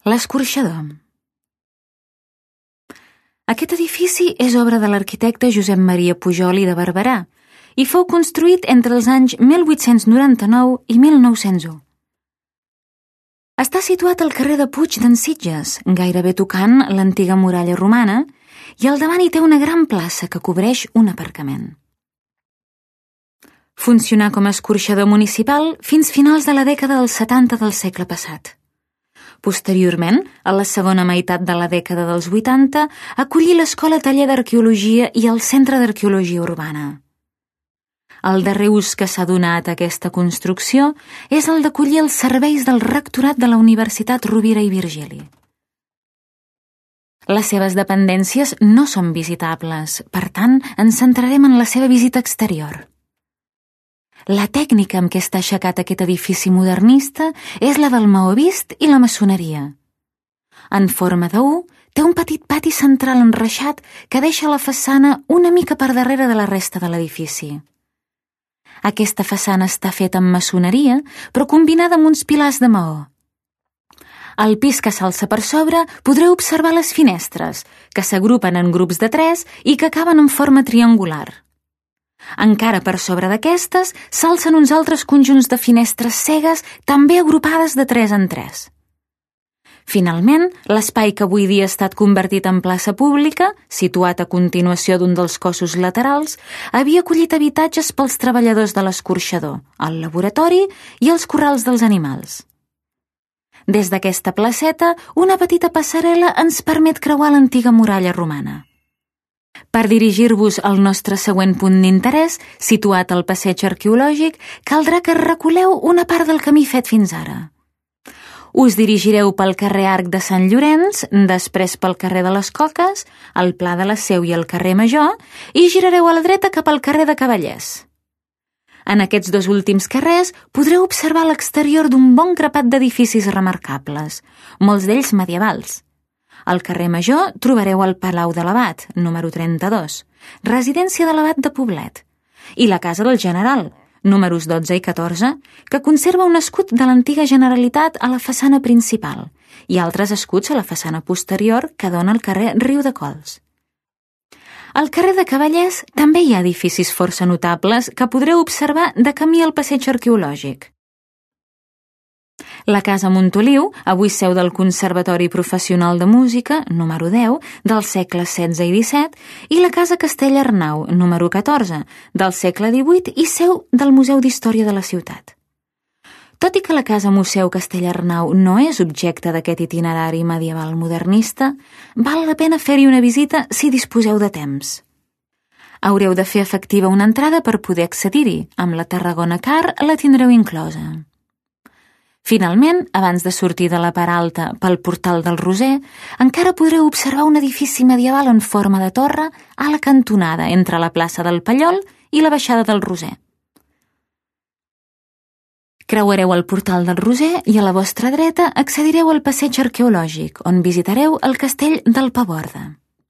L'Escorxador. Aquest edifici és obra de l'arquitecte Josep Maria Pujol i de Barberà i fou construït entre els anys 1899 i 1901. Està situat al carrer de Puig d'en Sitges, gairebé tocant l'antiga muralla romana, i al davant hi té una gran plaça que cobreix un aparcament. Funcionà com a escorxador municipal fins finals de la dècada dels 70 del segle passat. Posteriorment, a la segona meitat de la dècada dels 80, acollí l'Escola Taller d'Arqueologia i el Centre d'Arqueologia Urbana. El darrer ús que s'ha donat a aquesta construcció és el d'acollir els serveis del rectorat de la Universitat Rovira i Virgili. Les seves dependències no són visitables, per tant, ens centrarem en la seva visita exterior. La tècnica amb què està aixecat aquest edifici modernista és la del maó vist i la maçoneria. En forma de U, té un petit pati central enreixat que deixa la façana una mica per darrere de la resta de l'edifici. Aquesta façana està feta amb maçoneria, però combinada amb uns pilars de maó. Al pis que s'alça per sobre podreu observar les finestres, que s'agrupen en grups de 3 i que acaben en forma triangular. Encara per sobre d'aquestes s'alcen uns altres conjunts de finestres cegues també agrupades de 3 en 3. Finalment, l'espai que avui dia ha estat convertit en plaça pública, situat a continuació d'un dels cossos laterals, havia acollit habitatges pels treballadors de l'escorxador, el laboratori i els corrals dels animals. Des d'aquesta placeta, una petita passarel·la ens permet creuar l'antiga muralla romana. Per dirigir-vos al nostre següent punt d'interès, situat al passeig arqueològic, caldrà que reculeu una part del camí fet fins ara. Us dirigireu pel carrer Arc de Sant Llorenç, després pel carrer de les Coques, el Pla de la Seu i el carrer Major, i girareu a la dreta cap al carrer de Cavallers. En aquests dos últims carrers podreu observar l'exterior d'un bon grapat d'edificis remarcables, molts d'ells medievals. Al carrer Major trobareu el Palau de l'Abat, número 32, residència de l'Abat de Poblet, i la Casa del General, números 12 i 14, que conserva un escut de l'antiga Generalitat a la façana principal i altres escuts a la façana posterior que dona al carrer Riudecols. Al carrer de Cavallers també hi ha edificis força notables que podreu observar de camí al passeig arqueològic. La Casa Montoliu, avui seu del Conservatori Professional de Música, número 10, del segle XVI i XVII, i la Casa Castell-Arnau, número 14, del segle XVIII i seu del Museu d'Història de la ciutat. Tot i que la Casa Museu Castell-Arnau no és objecte d'aquest itinerari medieval modernista, val la pena fer-hi una visita si disposeu de temps. Haureu de fer efectiva una entrada per poder accedir-hi, amb la Tarragona Car la tindreu inclosa. Finalment, abans de sortir de la part alta pel portal del Roser, encara podreu observar un edifici medieval en forma de torre a la cantonada entre la plaça del Pallol i la baixada del Roser. Creuareu el portal del Roser i a la vostra dreta accedireu al passeig arqueològic, on visitareu el castell del Paborda.